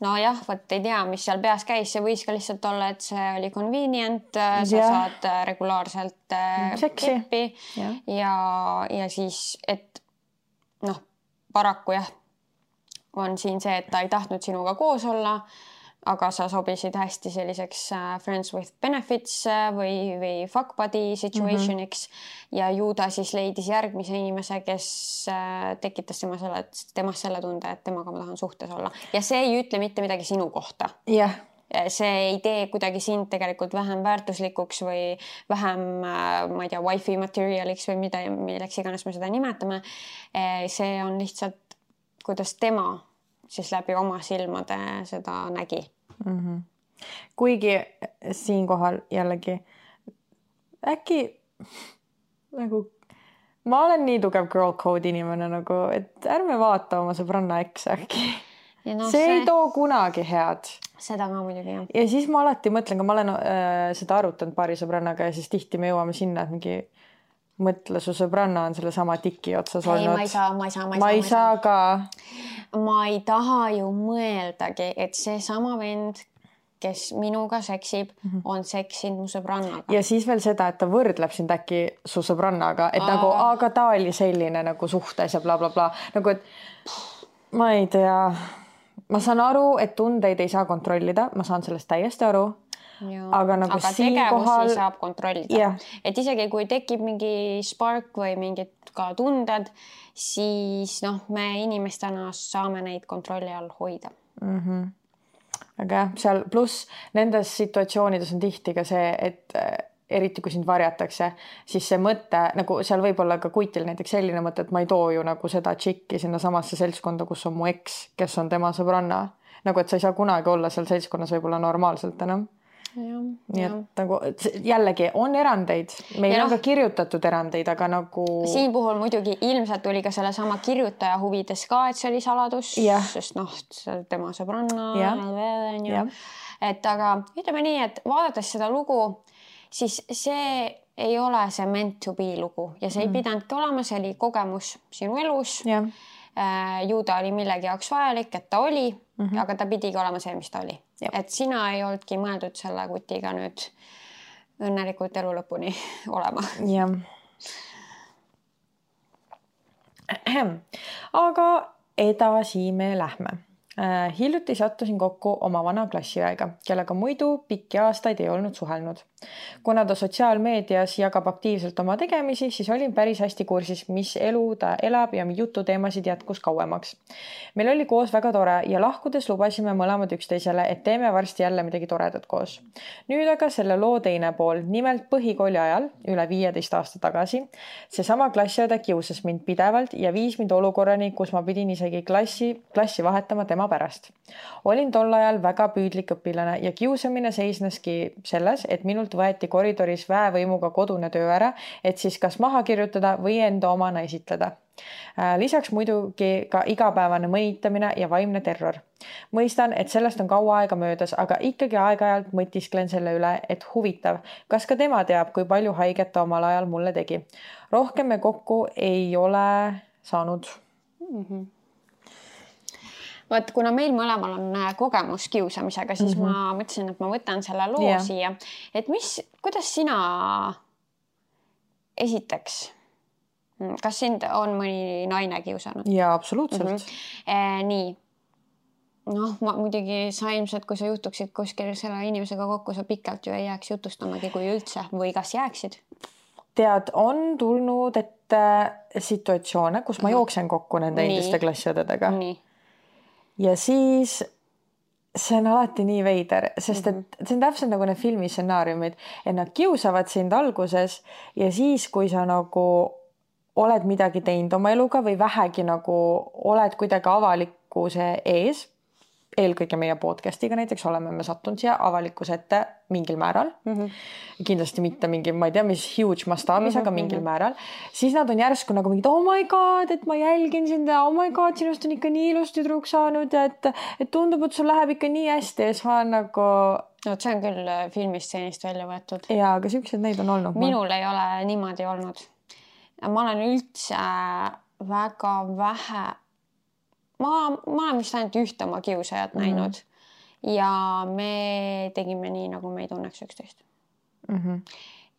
Nojah, võt ei tea, mis seal peas käis, see võis ka lihtsalt olla, et see oli convenient, sa saad regulaarselt keppi ja siis, et paraku jah, on siin see, et ta ei tahtnud sinuga koos olla, aga sa sobisid hästi selliseks friends with benefits või fuck buddy situationiks ja ju ta siis leidis järgmise inimese, kes tekitas temast selle tunde, et temaga ma tahan suhtes olla. Ja see ei ütle mitte midagi sinu kohta. Yeah. See ei tee kuidagi sind tegelikult vähem väärtuslikuks või vähem, ma ei tea, wifi materialiks või milleks iganes me seda nimetame. See on lihtsalt kuidas tema siis läbi oma silmade seda nägi. Kuigi siinkohal jällegi äkki nagu ma olen nii tugev girl code inimene nagu, et ärme vaata oma sõbranna eks äkki. See ei too kunagi head. Seda ka muidugi, jah. Ja siis ma alati mõtlen, kui ma olen seda arutanud paari sõbrannaga ja siis tihti me jõuame sinna, et mingi mõtle, su sõbranna on selle sama tiki otsas olnud. Ma ei saa ka. Ma ei taha ju mõeldagi, et see sama vend, kes minuga seksib, on seksinud mu sõbrannaga. Ja siis veel seda, et ta võrdleb sind äkki su sõbrannaga, et nagu, aga ta oli selline nagu suhtes ja bla bla bla. Nagu, et ma ei tea, ma saan aru, et tundeid ei saa kontrollida, ma saan sellest täiesti aru. Aga tegevusi saab kontrollida. Et isegi kui tekib mingi spark või mingid ka tunded, siis me inimestena saame neid kontrolli all hoida. Aga seal pluss nendes situatsioonides on tihti ka see, et eriti kui sind varjatakse, siis see mõte, nagu seal võib olla ka kuitil näiteks selline mõte, et ma ei too ju nagu seda tšikki sinna samasse seltskonda, kus on mu eks, kes on tema sõbranna. Nagu, et sa ei saa kunagi olla seal seltskonnas võib-olla normaalselt enam. Nii et nagu jällegi on erandeid, meil on ka kirjutatud erandeid, aga nagu siin puhul muidugi ilmselt oli ka selle sama kirjutaja huvides ka, et see oli saladus, sest see tema sõbranna et aga ütleme nii, et vaadates seda lugu, siis see ei ole see meant to be lugu ja see ei pidanudki olema, see oli kogemus sinu elus ju ta oli millegi jaoks vajalik, et ta oli, aga ta pidigi olema see, mis ta oli. Et sina ei oldki mõeldud selle kutiga nüüd õnnelikult elu lõpuni olema. Jah. Aga edasi me lähme. Hiljuti sattusin kokku oma vana klassiõega, kellega muidu pikki aastaid ei olnud suhelnud. Kuna ta sotsiaalmeedias jagab aktiivselt oma tegemisi, siis olin päris hästi kursis, mis elu ta elab ja jututeemasid jätkus kauemaks. Meil oli koos väga tore ja lahkudes lubasime mõlemad üksteisele, et teeme varsti jälle midagi toredat koos. Nüüd aga selle loo teine pool, nimelt põhikooli ajal, üle 15 aasta tagasi, seesama klassiõde kiusas mind pidevalt ja viis mind olukorrani, kus ma pidin isegi klassi vahetama tema pärast. Olin tol ajal väga püüdlik õpilane ja kiusamine seisneski selles, et minult võeti koridoris väevõimuga kodune töö ära, et siis kas maha kirjutada või enda omana esitleda. Lisaks muidugi ka igapäevane mõnitamine ja vaimne terror. Mõistan, et sellest on kaua aega möödas, aga ikkagi aeg-ajalt mõtisklen selle üle, et huvitav, kas ka tema teab, kui palju haiget ta omal ajal mulle tegi. Rohkem me kokku ei ole saanud. Vaat, kuna meil mõlemal on kogemus kiusamisega, siis ma mõtlesin, et ma võtan selle loo siia. Et kuidas sina esiteks, kas sind on mõni naine kiusanud? Jaa, absoluutselt. Nii. Noh, ma muidugi sa ilmselt, kui sa juhtuksid kuskil selle inimesega kokku, sa pikalt ju ei jääks jutustamagi, kui üldse, või kas jääksid? Tead, on tulnud ette situatsioone, kus ma jooksen kokku nende endiste klassiõdedega. Nii. Ja siis see on alati nii veider, sest et see on täpselt nagu need filmi stsenaariumid, et nad kiusavad sind alguses ja siis, kui sa nagu oled midagi teinud oma eluga või vähegi nagu oled kuidagi avalikkuse ees, eelkõige meie podcastiga näiteks oleme me sattunud siia avalikkuse ette mingil määral. Kindlasti mitte mingi, ma ei tea, mis huge mastaabis, aga mingil määral. Siis nad on järsku nagu mingid, oh my god, et ma jälgin sind ja oh my god, sinust on ikka nii ilus tüdruk saanud ja et tundub, et sul läheb ikka nii hästi ja siis ma olen nagu... No, see on küll filmisteenist välja võetud. Jaa, aga siuksed neid on olnud. Minul ei ole niimoodi olnud. Ma olen üldse väga vähe... Ma olen vist ainult ühte oma kiusajat näinud ja me tegime nii, nagu me ei tunneks üksteist.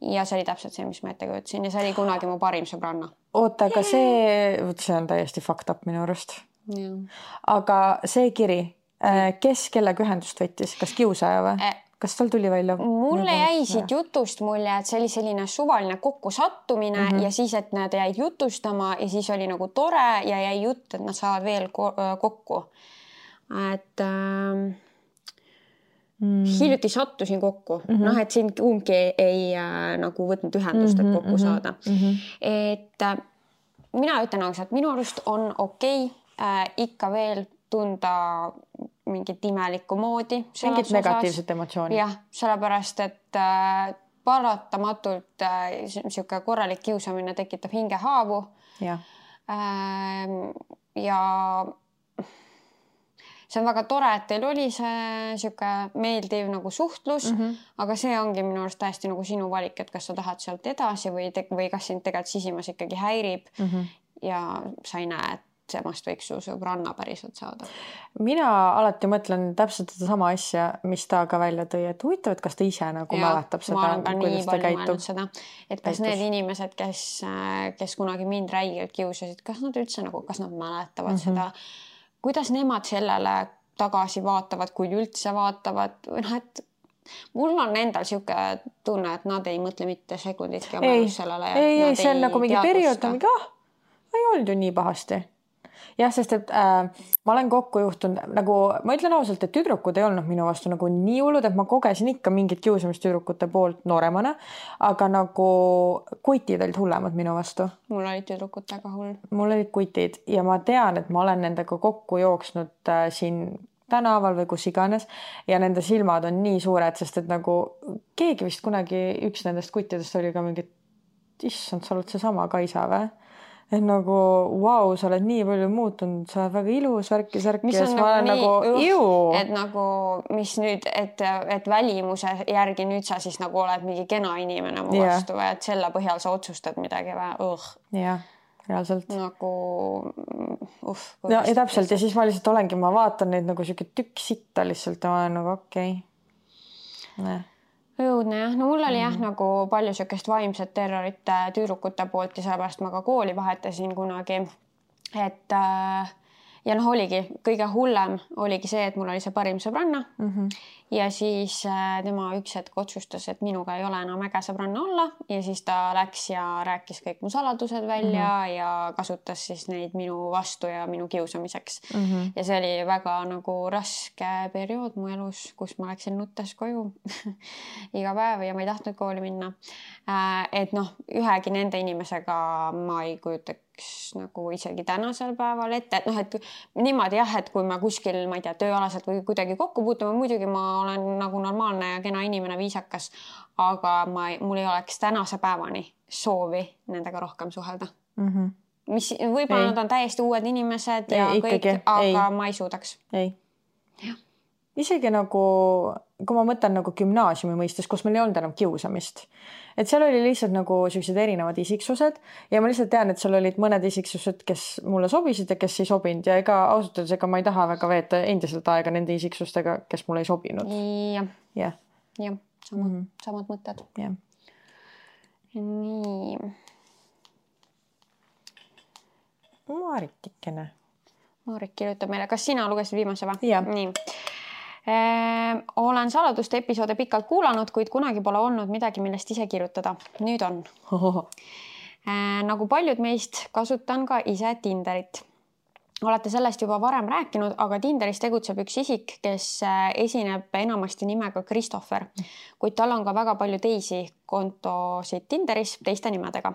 Ja see oli täpselt see, mis ma ette kujutasin ja see oli kunagi mu parim sõbranna. Oota, aga see on täiesti fucked up minu arust. Aga see kiri, kes kellega ühendust võttis? Kas kiusaja või? Kas tal tuli välja? Mulle jäi siit jutust mulje, et see oli selline suvaline kokkusattumine ja siis, et nad jäid jutustama ja siis oli nagu tore ja jäi jutt, et nad saavad veel kokku. Et hiljuti sattusin kokku. Noh, et siin kumbki ei nagu võtnud ühendust, et kokku saada. Et mina ütlen ausalt, minu arust on okei ikka veel tunda mingit imelikku moodi. Mingit negatiivset emotsiooni. Jah, sellepärast, et paratamatult siuke korralik kiusamine tekitab hingehaavu. Ja see on väga tore, et teil oli see siuke meeldiv nagu suhtlus, aga see ongi minu arust täiesti nagu sinu valik, et kas sa tahad sealt edasi või kas sind tegelikult sisimas ikkagi häirib ja sa ei näe, et semast võiks su sõbranna päriselt saada. Mina alati mõtlen täpselt seda sama asja, mis ta ka välja tõi, et huvitav, et kas ta ise nagu mäletab seda, kuidas ta käitub. Seda, et kas need inimesed, kes kunagi mind räigelt kiusasid, kas nad üldse nagu, kas nad mäletavad seda, kuidas nemad sellele tagasi vaatavad, kui üldse vaatavad, et mul on endal siuke tunne, et nad ei mõtle mitte sekunditki oma elus sellele. Ei, see on nagu mingi periood, ei olnud ju nii pahasti. Jah, sest et ma olen kokku juhtunud, nagu ma ütlen ausalt, et tüdrukud ei olnud minu vastu nagu nii hullud, et ma kogesin ikka mingit kiusamist tüdrukute poolt nooremana, aga nagu kutid olid hullemad minu vastu. Mul olid tüdrukud väga hull. Mul olid kutid ja ma tean, et ma olen nendega kokku jooksnud siin tänaval või kus iganes ja nende silmad on nii suured, sest et nagu keegi vist kunagi üks nendest kuttidest oli ka mingi, issand, sa oled seesama Kaisa või? Et nagu, wow, sa oled nii palju muutunud, sa oled väga ilus, värki. Mis on nagu et nagu, mis nüüd, et välimuse järgi nüüd sa siis nagu oled mingi kena inimene mu vastu või et selle põhjal sa otsustad midagi või? Jah, reaalselt. Nagu, ja täpselt ja siis ma lihtsalt olengi, ma vaatan neid nagu siuke tükk sitta lihtsalt ja ma olen nagu okei. Õudne jah. No mul oli jah nagu palju siukest vaimset terrorit tüdrukute poolt ja sellepärast ma ka kooli vahetasin kunagi. Et ja noh, oligi kõige hullem oligi see, et mul oli see parim sõbranna ja siis tema üks hetk otsustas, et minuga ei ole enam äge sõbranna olla ja siis ta läks ja rääkis kõik mu saladused välja ja kasutas siis neid minu vastu ja minu kiusamiseks. Ja see oli väga nagu raske periood mu elus, kus ma läksin nuttes koju iga päev ja ma ei tahtnud kooli minna. Et noh, ühegi nende inimesega ma ei kujutaks nagu isegi tänasel päeval ette, et noh, et niimoodi jah, et kui ma kuskil, ma ei tea, tööalaselt või kuidagi kokku puutume, muidugi ma olen nagu normaalne ja kena inimene, viisakas, aga mul ei oleks tänase päevani soovi nendega rohkem suhelda. Mis võib-olla nad on täiesti uued inimesed ja kõik, aga ma ei suudaks. Ei. Isegi nagu, kui ma mõtlen nagu gümnaasiumi mõistes, kus meil ei olnud enam kiusamist, et seal oli lihtsalt nagu sellised erinevad isiksused ja ma lihtsalt tean, et seal olid mõned isiksused, kes mulle sobisid ja kes ei sobinud ja ega ausalt öeldes, ega ma ei taha väga veeta endiselt aega nende isiksustega, kes mulle ei sobinud. Jah, samad mõtted. Nii. Maarik kirjutab meile, kas sina lugesid viimase või? Nii. Olen saladuste episoode pikalt kuulanud, kuid kunagi pole olnud midagi, millest ise kirjutada. Nüüd on. Nagu paljud meist kasutan ka ise Tinderit. Olete sellest juba varem rääkinud, aga Tinderis tegutseb üks isik, kes esineb enamasti nimega Christopher, kuid tal on ka väga palju teisi kontosid Tinderis teiste nimedega.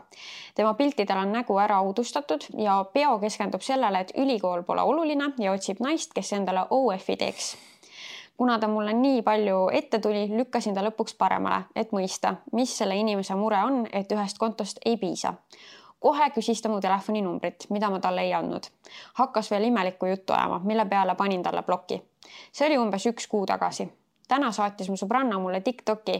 Tema piltidel on nägu ära uudustatud ja peo keskendub sellele, et ülikool pole oluline ja otsib naist, kes endale OF-i teeks. Kuna ta mulle nii palju ette tuli, lükkasin ta lõpuks paremale, et mõista, mis selle inimese mure on, et ühest kontost ei piisa. Kohe küsis ta mu telefoninumbrit, mida ma talle ei andnud. Hakkas veel imelikku juttu ajama, mille peale panin talle bloki. See oli umbes 1 kuu tagasi. Täna saatis mu sõbranna mulle TikToki,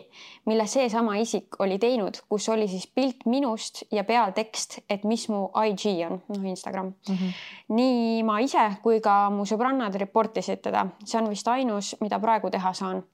mille seesama isik oli teinud, kus oli siis pilt minust ja peal tekst, et mis mu IG on, Instagram. Nii ma ise kui ka mu sõbrannad reportisid teda. See on vist ainus, mida praegu teha saan.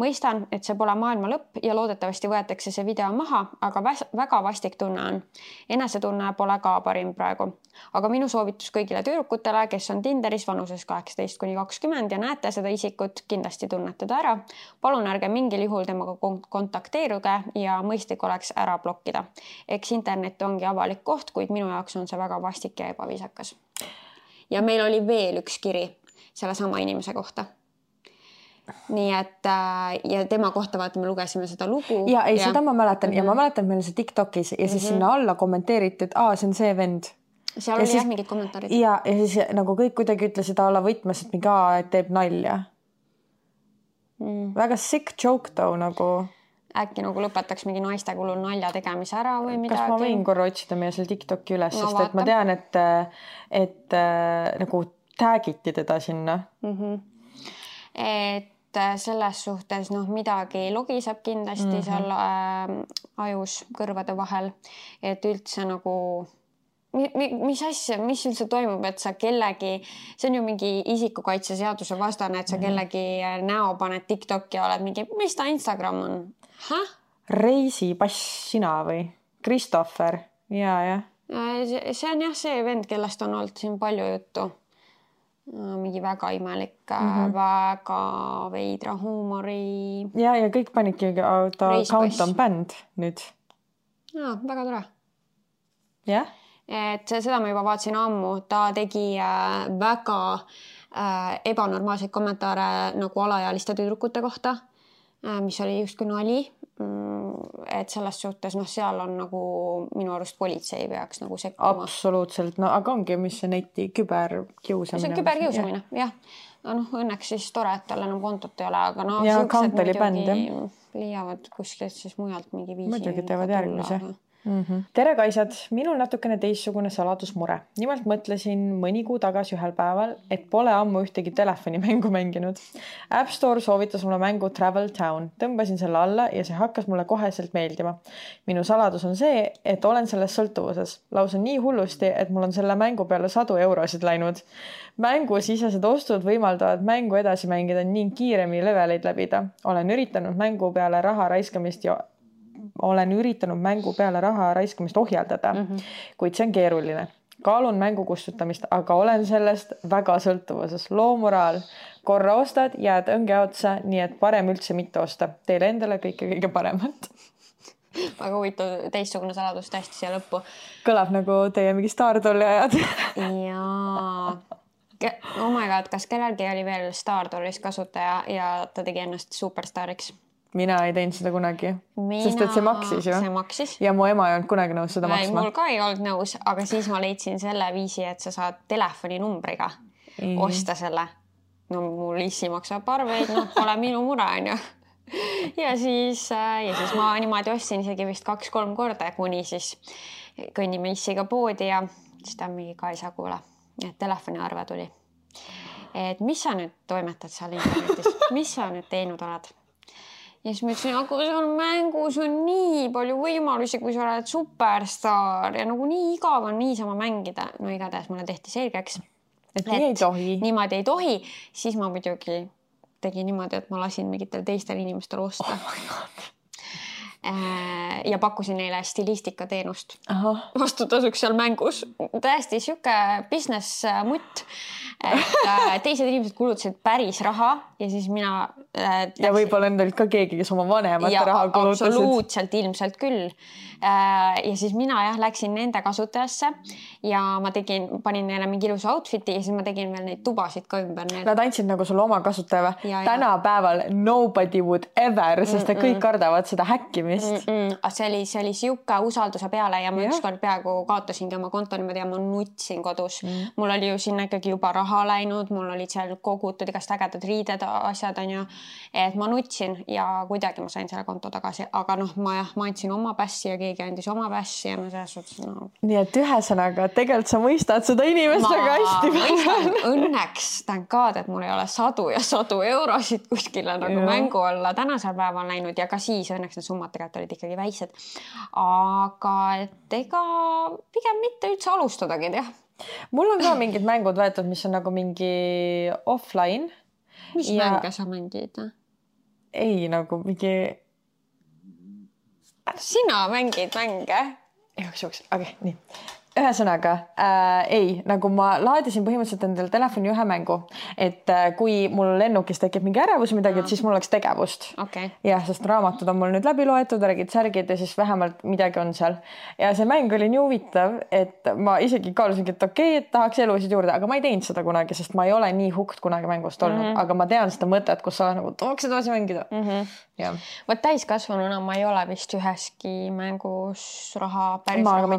Mõistan, et see pole maailma lõpp ja loodetavasti võetakse see video maha, aga väga vastik tunne on. Enesetunne pole ka parim praegu. Aga minu soovitus kõigile tüdrukutele, kes on Tinderis vanuses 18–20 ja näete seda isikut, kindlasti tunnete ta ära. Palun ärge mingil juhul temaga kontakteeruge ja mõistlik oleks ära blokkida. Eks internet ongi avalik koht, kuid minu jaoks on see väga vastik ja ebaviisakas. Ja meil oli veel üks kiri selle sama inimese kohta. Nii et ja tema kohta vaata me lugesime seda lugu. Ja ei, seda ma mäletan ja ma mäletan meil see TikTokis ja siis sinna alla kommenteeriti, et see on see vend. Seal oli jah mingid kommentaarid. Ja siis nagu kõik kuidagi ütlesid alla võtmes, et mingi et teeb nalja. Väga sick joke too nagu. Äkki nagu lõpetaks mingi naiste kulul nalja tegemise ära või midagi. Kas ma võin korra otsida meie seal TikToki üles, sest et ma tean, et nagu tagiti teda sinna. Et selles suhtes midagi logiseb kindlasti seal ajus kõrvade vahel, et üldse nagu mis asja, mis üldse toimub, et sa kellegi, see on ju mingi isikukaitse seaduse vastane, et sa kellegi näo paned TikToki ja oled mingi, mis ta Instagram on? Reisipass sina või? Christopher, ja. See on jah see vend, kellest on olnud siin palju juttu. Mingi väga imelik, väga veidra huumori. Ja kõik panidki ta count on band nüüd. Väga tore. Jah? Et seda ma juba vaatasin ammu. Ta tegi väga ebanormaalseid kommentaare nagu alaealiste tüdrukute kohta, mis oli just kui nali. Et selles suhtes, seal on nagu minu arust politsei peaks nagu sekkuma. Absoluutselt, aga ongi, mis see neti küberkiusamine. See on küberkiusamine, jah. Õnneks siis tore, et tal enam kontot ei ole, aga ja count oli bänd, jah. Leiavad kuskilt siis mujalt mingi viisi. Muidugi teevad järgmise. Tere kaisad, minul natukene teistsugune saladusmure. Nimelt mõtlesin mõni kuu tagasi ühel päeval, et pole ammu ühtegi telefonimängu mänginud. App Store soovitas mulle mängu Travel Town. Tõmbasin selle alla ja see hakkas mulle koheselt meeldima. Minu saladus on see, et olen selles sõltuvuses. Lausa nii hullusti, et mul on selle mängu peale 100 eurosid läinud. Mängu sisesed ostud võimaldavad mängu edasi mängida ning kiiremini leveleid läbida. Olen üritanud mängu peale raha raiskamist ohjeldada, kuid see on keeruline. kaalun mängu kustutamist, aga olen sellest väga sõltuvuses. Loomoraal, korra ostad, jääd õnge otsa, nii et parem üldse mitte osta. Teile endale kõige paremat. Väga huvitav teistsugune saladus täiesti siia lõppu. Kõlab nagu teie mingi Startolli ajad. Jaa. Oh my god, kas kellelgi oli veel Startollis kasutaja ja ta tegi ennast superstaariks? Mina ei teinud seda kunagi, sest et see maksis ju. See maksis. Ja mu ema ei olnud kunagi nõus seda maksma. Mul ka ei olnud nõus, aga siis ma leidsin selle viisi, et sa saad telefoninumbriga osta selle. No mul issi maksab arveid, noh, pole minu mure, on ju. Ja siis ma niimoodi ostsin isegi vist 2-3 korda, kuni siis kõnnime issiga poodi ja siis ta mingi Kaisa kuule, et telefoniarve tuli. Et mis sa nüüd toimetad seal internetis? Mis sa nüüd teinud oled? Ja siis ma ütlesin, aga seal mängus on nii palju võimalusi, kui sa oled superstar ja nagu nii igav on niisama mängida. No igatahes mulle tehti selgeks, et nii ei tohi. Niimoodi ei tohi. Siis ma muidugi tegin niimoodi, et ma lasin mingitel teistel inimestel osta. Oh my God. Ja pakkusin neile stilistika teenust. Vastutasuks seal mängus. Täiesti siuke business mutt. Et teised inimesed kulutasid päris raha ja siis mina ja võib-olla endal ka keegi, kes oma vanemate raha kulutasid. Absoluutselt ilmselt küll. Ja siis mina läksin nende kasutajasse ja ma panin neile mingi ilusa outfiti ja siis ma tegin veel neid tubasid ka ümber neile. Nad andsid nagu sulle oma kasutaja. Tänapäeval nobody would ever, sest kõik kardavad seda häkkimist. See oli siuke usalduse peale ja ma ükskord peaaegu kaotasingi oma konto niimoodi ja ma nutsin kodus. Mul oli ju sinna ikkagi juba raha läinud, mul olid seal kogutud igast ägedad riided, asjad on ju, et ma nutsin ja kuidagi ma sain selle konto tagasi, aga noh, ma andsin oma passi ja keegi andis oma passi ja no selles suhtes no. Nii et ühesõnaga, tegelikult sa mõistad seda inimest väga hästi. Õnneks tänkaad, et mul ei ole sadu ja sadu eurosid kuskile nagu mängu olla tänasel päeval läinud ja ka siis õnneks need summad tegelikult olid ikkagi väiksed. Aga et ega pigem mitte üldse alustadagi, jah. Mul on ka mingid mängud võetud, mis on nagu mingi offline. Mis mänge sa mängid? Ei, nagu mingi... Sina mängid mänge? Joks. Okay, nii. Ühesõnaga, ei, nagu ma laadisin põhimõtteliselt endale telefoni ühe mängu, et kui mul lennukis tekib mingi ärevus midagi, et siis mul oleks tegevust. Okay. Ja, sest raamatud on mul nüüd läbi loetud, räägid särgid ja siis vähemalt midagi on seal. Ja see mäng oli nii huvitav, et ma isegi kaalusingi, et okei, et tahaks elusid juurde, aga ma ei teinud seda kunagi, sest ma ei ole nii hukt kunagi mängust olnud, aga ma tean seda mõtet, kus sa nagu tahaks edasi mängida. Võt täiskasvanuna ma ei ole vist üheski mängus päris raha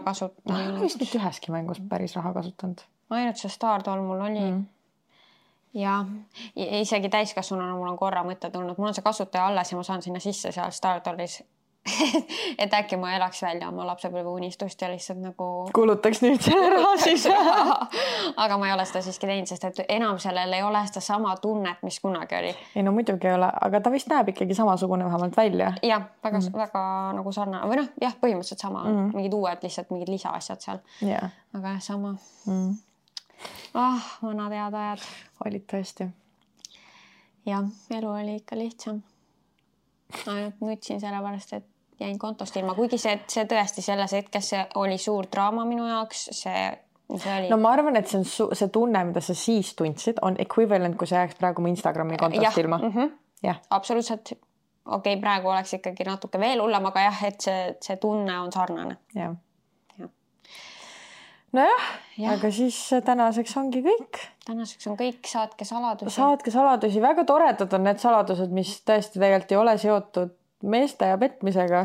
kasutanud. Ma ei ole vist mitte üheski mängus päris raha kasutanud. Ainult see Stardoll mul oli. Ja isegi täiskasvanuna mul on korra mõte tulnud. Mul on see kasutaja alles ja ma saan sinna sisse seal Stardollis. Et äkki ma elaks välja oma lapsepõlve unistust ja lihtsalt nagu... Kulutaks nüüd selle raha siis. Aga ma ei ole seda siiski teinud, sest et enam sellel ei ole seda sama tunnet, mis kunagi oli. Ei no muidugi ei ole, aga ta vist näeb ikkagi samasugune vähemalt välja. Jah, väga nagu sarnane. Või noh, jah, põhimõtteliselt sama. Mingid uued lihtsalt, mingid lisaasjad seal. Aga jah, sama. Vanad head ajad. Olid tõesti. Jah, elu oli ikka lihtsam. Ainult nutsin sellepärast, et jäin kontost ilma. Kuigi see tõesti selles hetkes see oli suur draama minu jaoks. See oli... No ma arvan, et see tunne, mida sa siis tundsid, on equivalent, kui sa jääks praegu mu Instagrami kontost ilma. Absoluutselt. Okei, praegu oleks ikkagi natuke veel hullem, aga jah, et see tunne on sarnane. Jah. Nojah, aga siis tänaseks ongi kõik. Tänaseks on kõik, saatke saladusi. Saatke saladusi, väga toredad on need saladused, mis tõesti tegelikult ei ole seotud meeste ja petmisega.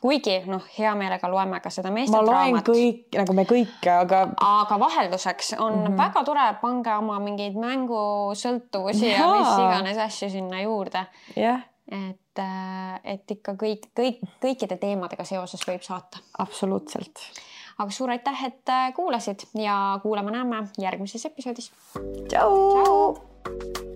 Kuigi, hea meelega loeme ka seda meeste draamat. Ma loen kõik, nagu me kõike, aga vahelduseks on väga tore pange oma mingeid mängusõltuvusi ja mis iganes asju sinna juurde. Et ikka kõikide teemadega seoses võib saata. Absoluutselt. Aga suur aitäh, et kuulasid ja kuulame näeme järgmises episoodis. Tšau!